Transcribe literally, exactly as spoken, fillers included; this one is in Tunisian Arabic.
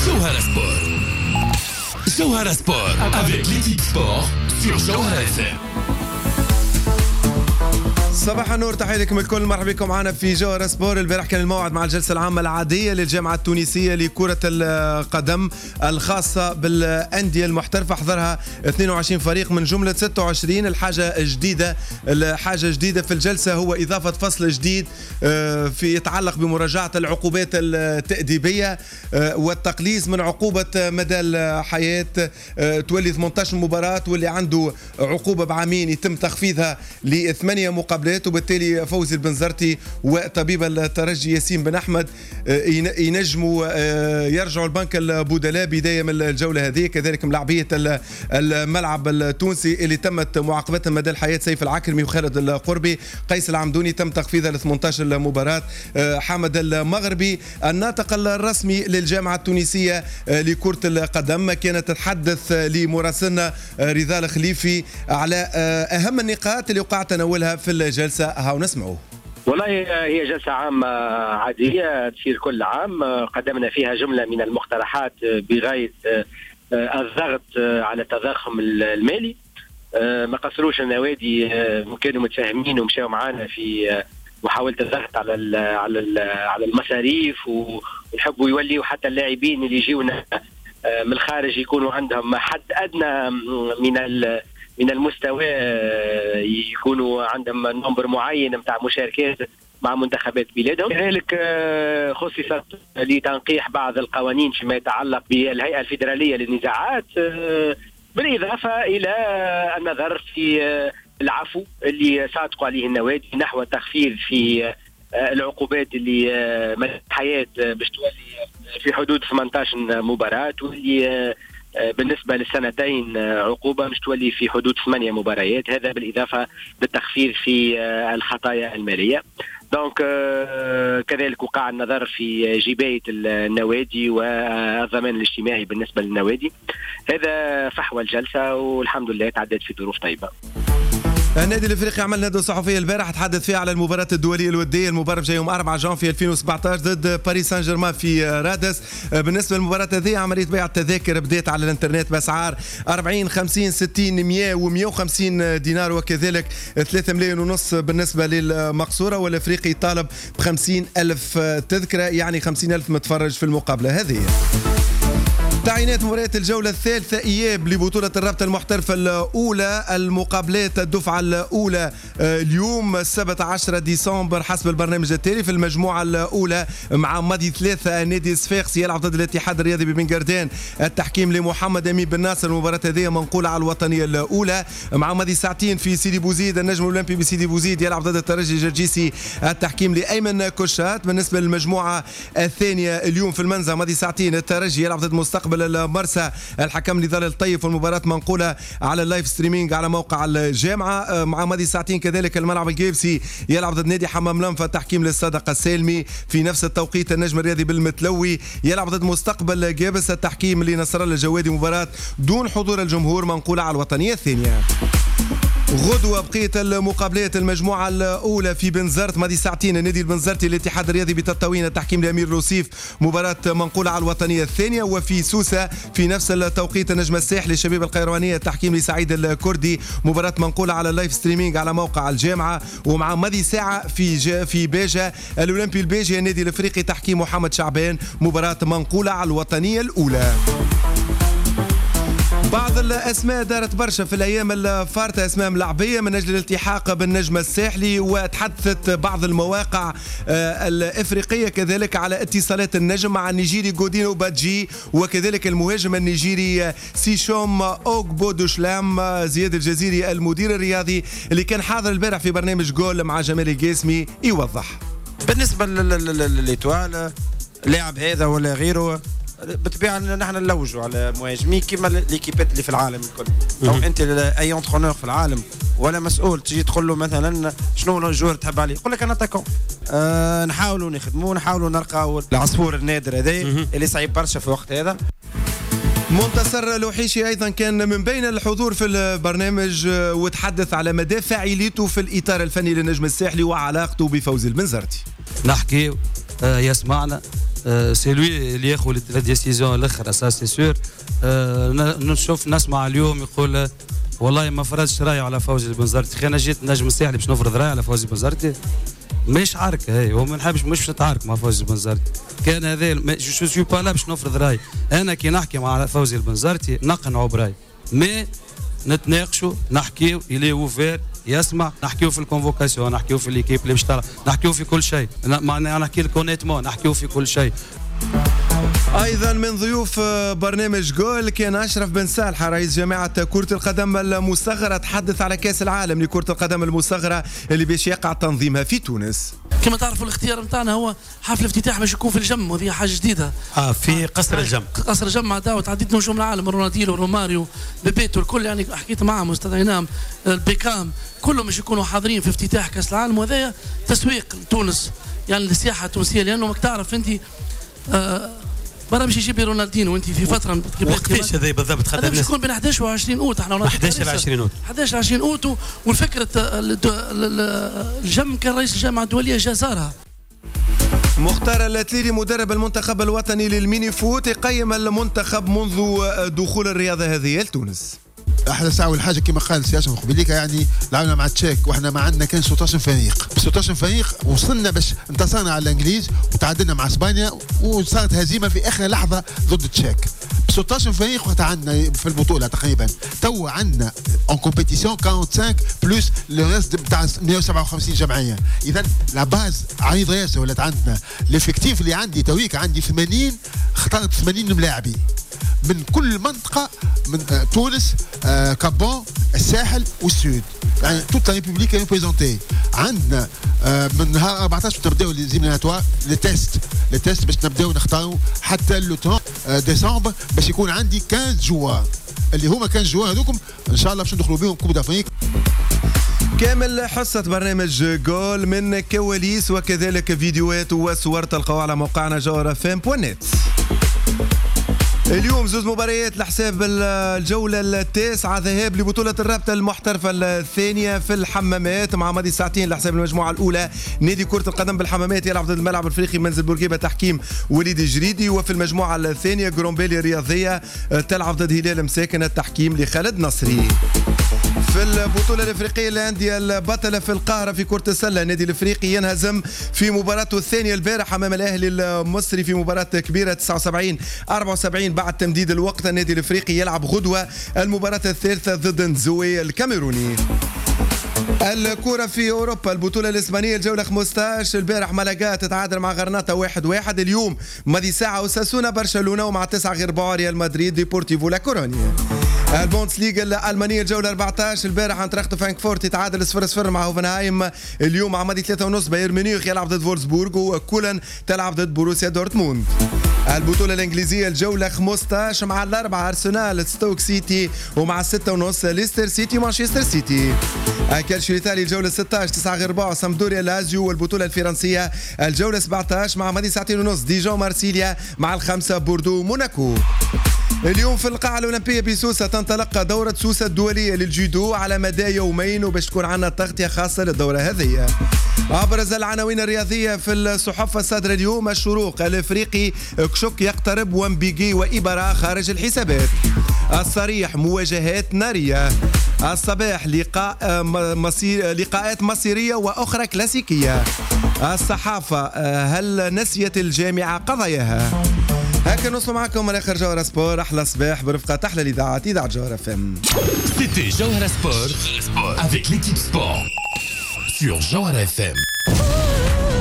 جوهرة سبور، جوهرة سبور avec l'équipe sport sur جوهرة F M. صباح النور، تحية لكم الكل، مرحبا بكم معنا في جوهرة سبور. البارح كان الموعد مع الجلسة العامة العادية للجامعة التونسية لكرة القدم الخاصة بالأندية المحترفة، حضرها اثنين وعشرين فريق من جملة ستة وعشرين. الحاجة الجديدة الحاجة جديدة في الجلسة هو إضافة فصل جديد آه، في يتعلق بمراجعة العقوبات التأديبية آه، والتقليص من عقوبة مدى الحياة، آه، تولي ثمنطاش مباراة، واللي عنده عقوبة بعامين يتم تخفيضها لثمانية مقابلات. وبالتالي فوزي البنزرتي وطبيب الترجي ياسين بن احمد آه، ينجموا آه، يرجعوا البنك البدلاء بداية من الجولة هذه. كذلك ملاعبيه الملعب التونسي اللي تمت معاقبتهم مدى الحياه، سيف العكرمي وخالد القربي، قيس العمدوني تم تخفيضها ل ثمنطاش مباراه. آه، حامد المغربي الناطق الرسمي للجامعة التونسية لكرة القدم كانت تتحدث لمراسلنا رضا الخليفي على اهم النقاط اللي وقع تناولها في الجلسه، هاو نسمعوه. والله هي جلسة عامة عادية تصير كل عام، قدمنا فيها جملة من المقترحات بغاية الضغط على التضخم المالي. ما قصروش النوادي، كانوا متفاهمين ومشاوا معنا في محاولة الضغط على ال على ال على المصاريف، ونحبوا يوليوا حتى اللاعبين اللي يجيونا من الخارج يكونوا عندهم حد ادنى من من المستوى، يكونوا عندهم nombre معين نتاع مشاركات مع منتخبات بلادهم. كذلك آه، خصصت لتنقيح بعض القوانين فيما يتعلق بالهيئة الفيدرالية للنزاعات، آه، بالاضافة الى النظر في آه، العفو اللي صادقوا عليه النوادي نحو تخفيض في العقوبات اللي مدى الحياة باش تولي في حدود ثمنطاش مباراة، واللي بالنسبة للسنتين عقوبة مش تولي في حدود ثمانية مباريات، هذا بالإضافة للتخفيض في الخطايا المالية. donc كذلك وقع النظر في جباية النوادي والضمان الاجتماعي بالنسبة للنوادي. هذا فحوى الجلسة، والحمد لله تعدت في ظروف طيبة. النادي الافريقي عمل ندوه صحفية البارح تحدث فيها على المباراة الدولية الودية المباراة يوم أربعة جانفي ألفين وسبعطاش ضد باريس سان جيرمان في رادس. بالنسبة للمباراة هذه، عملية بيع التذاكر بدات على الانترنت باسعار أربعين، خمسين، ستين، مية ومية وخمسين دينار، وكذلك ثلاثة ملايين ونص بالنسبة للمقصوره. والافريقي طالب ب خمسين الف تذكره، يعني خمسين الف متفرج في المقابلة هذه. تعيينات مباريات الجولة الثالثة إياب لبطولة الرابطة المحترفة الأولى، المقابلات الدفعة الأولى آه، اليوم السبت عشرة ديسمبر حسب البرنامج التالي: في المجموعة الأولى مع ماضي ثلاثة نادي صفاقسي يلعب ضد الاتحاد الرياضي ببن قردان، التحكيم لمحمد أمين بن ناصر، المباراة هذه منقولة على الوطنية الأولى. مع ماضي ساعتين في سيدي بوزيد النجم الأولمبي بسيدي بوزيد يلعب ضد الترجي الجرجيسي، التحكيم لأيمن كشات. بالنسبة للمجموعة الثانية اليوم في المنزه ماضي ساعتين الترجي يلعب ضد مستقبل المرسى، الحكم نضال الطيف، والمباراة منقولة على ال live streaming على موقع الجامعة. آه، مع ماضي ساعتين كذلك الملعب القابسي يلعب ضد نادي حمام الأنف، التحكيم للصادق السالمي. في نفس التوقيت النجم الرياضي بالمتلوي يلعب ضد مستقبل قابس، التحكيم لنصر الله الجوادي، مباراة دون حضور الجمهور منقولة على الوطنية الثانية. غدوة بقية المقابلات: المجموعة الأولى في بنزرت ماضي ساعتين النادي البنزرتي الاتحاد الرياضي بتطاوين، التحكيم لأمير لوصيف، مباراة منقولة على الوطنية الثانية. وفي سوسة في نفس التوقيت النجم الساحلي الشبيبة القيروانية، التحكيم لسعيد الكردي، مباراة منقولة على ال live streaming على موقع الجامعة. ومع ماضي ساعة في في باجة الأولمبي الباجي النادي الأفريقي، تحكيم محمد شعبان، مباراة منقولة على الوطنية الأولى. بعض الاسماء دارت برشا في الايام الفارطه، اسماء ملعبيه من اجل الالتحاق بالنجم الساحلي، وتحدثت بعض المواقع آه، الافريقية كذلك على اتصالات النجم مع النيجيري جودينو بادجي وكذلك المهاجم النيجيري سيشوم اوغبودوشلام. زياد الجزيري المدير الرياضي اللي كان حاضر البارح في برنامج جول مع جمال القاسمي يوضح. بالنسبة ل l'Étoile، لاعب هذا ولا غيره، بالطبيعة نحن نلوجوا على مهاجمين كيما les équipes اللي في العالم الكل. او انت اي entraîneur في العالم ولا مسؤول تجي تقول له مثلا شنو ال joueur تحب عليه، يقول لك un attaquant. آه نحاولوا نخدموا، نحاولوا نلقاو العصفور النادر هذا اللي صعيب برشا في الوقت هذا. منتصر لوحيشي ايضا كان من بين الحضور في البرنامج وتحدث على مدى فاعليته في الاطار الفني للنجم الساحلي وعلاقته بفوزي البنزرتي. نحكي آه، يسمعنا. c'est lui اللي ياخذ la décision الاخرى، ça c'est sûr. نشوف نسمع اليوم يقول والله ما فرضش راي على فوزي البنزرتي. انا جيت نجم الساحلي باش نفرض راي على فوزي البنزرتي؟ مش عركة هي، وما نحبش مش نتعارك مع فوزي البنزرتي. كان هذا je suis pas là باش نفرض راي. انا كي نحكي مع فوزي البنزرتي نقنعه براي، mais نتناقشوا، نحكيو، il est ouvert، يسمع، نحكيو في ال convocation، نحكيو في l'équipe اللي باش تلعب، نحكيو في كل شيء. معناها نحكي لك honnêtement، نحكيو في كل شيء. ايضا من ضيوف برنامج جول كان اشرف بن صالحه رئيس جامعه كره القدم المصغرة، تحدث على كاس العالم لكرة القدم المصغرة اللي باش يقع تنظيمها في تونس. كما تعرفوا الاختيار نتاعنا هو حفل افتتاح باش يكون في الجم، وهذه حاجة جديدة. اه في قصر الجم. قصر الجم مع دعوه عديد نجوم العالم، رونالدينو، روماريو، بيبيتو، الكل يعني حكيت معهم واستدعيناهم، البيكام، كلهم باش يكونوا حاضرين في افتتاح كاس العالم. وهذا تسويق لتونس يعني للسياحة التونسية، لانه ماك تعرف انت آه برا باش يجيب رونالدينو وانت في فترة وقتاش هذا بالضبط؟ خاطر باش يكون بين احداش و عشرين اوت. احنا احداش ل عشرين اوت، احداش ل عشرين اوت. والفكرة الجم كان رئيس الجامعة الدولية جا زارها. مختار التليلي مدرب المنتخب الوطني لل mini-foot يقيم المنتخب منذ دخول الرياضة هذه لتونس. احنا ساعة اول حاجة كما قال سي اشرف قبيليك، يعني لعبنا مع التشيك واحنا ما عندنا كان ستة عشر فريق، ستة عشر فريق وصلنا باش انتصرنا على الانجليز وتعادلنا مع اسبانيا وصارت هزيمة في اخر لحظة ضد التشيك. ستة عشر فريق وقت عندنا في البطولة تقريبا، تو عندنا en compétition خمسة وأربعين plus le reste تاع مية وسبعة وخمسين جمعية. اذا la base عريضة ياسر ولات عندنا. l'effectif اللي عندي تويك عندي ثمانين، اخترت ثمانين ملاعبي من كل منطقة، من تونس، آه، Cap Bon، الساحل وال sud، يعني toute la république représentée. عندنا آه، من نهار أربعطاش نبداو les éliminatoires، les tests les tests باش نبداو نختاروا حتى le trente décembre باش يكون عندي خمسطاش joueurs، اللي هما خمسطاش joueurs هذوكم ان شاء الله باش ندخلوا بهم Coupe d'Afrique. كامل حصة برنامج جول من كواليس وكذلك فيديوهات وصور تلقاوها على موقعنا جوهرة اف ام point net. اليوم زوز مباريات لحساب الجولة التاسعة، ذهاب لبطولة الرابطة المحترفة الثانية في الحمامات مع ماضي ساعتين لحساب المجموعة الأولى. نادي كرة القدم بالحمامات يلعب ضد الملعب الافريقي منزل بورقيبة، تحكيم وليد جريدي. وفي المجموعة الثانية جرومبيلي الرياضية تلعب ضد هلال مساكن، التحكيم لخالد نصري. في البطولة الإفريقية الأندية البطلة في القاهرة في كرة السلة، النادي الإفريقي ينهزم في مباراته الثانية البارح أمام الأهلي المصري في مباراة كبيرة تسعة وسبعين أربعة وسبعين بعد تمديد الوقت. النادي الإفريقي يلعب غدوة المباراة الثالثة ضد نزوي الكاميروني. الكرة في أوروبا، البطولة الإسبانية الجولة خمسطاش، البارح مالاغا تتعادل مع غرناطة واحد واحد. اليوم ماضي ساعة أوساسونا برشلونة، ومع تسعة غير ربع ريال مدريد ديبورتيفو لا كورونيا. البوندسليغا الألمانية الجولة أربعطاش، البارح انتراخت فرانكفورت يتعادل صفر صفر مع هوفنهايم. اليوم مع ماضي ثلاثة ونص بايرن ميونخ يلعب ضد فولسبورغ، وكولن تلعب ضد بوروسيا دورتموند. البطولة الإنجليزية الجولة خمسطاش مع الأربعة أرسنال ستوك سيتي، ومع الستة ونص ليستر سيتي مانشستر سيتي. الكالشيو الإيطالي الجولة ستطاش تسعة غير ربع سامدوريا لازيو. والبطولة الفرنسية الجولة سبعطاش مع ماضي ساعتين ونص ديجون مارسيليا، مع الخمسة بوردو موناكو. اليوم في القاعة الأولمبية بسوسة تنطلق دورة سوسة الدولية للجودو على مدى يومين، وباش تكون عندنا تغطية خاصة للدورة هذه. أبرز العناوين الرياضية في الصحف الصادرة اليوم: الشروق، الإفريقي كشك يقترب ومبيجي وإبرا خارج الحسابات. الصريح، مواجهات نارية. الصباح، لقاء مصير لقاءات مصيرية وأخرى كلاسيكية. الصحافة، هل نسيت الجامعة قضاياها؟ هكا نوصل معكم من اخر جوهرة سبور. احلى صباح برفقة احلى الاذاعات، اذاعة جوهرة اف ام. C'était Jawhara Sport avec l'équipe sport sur Jawhara F M.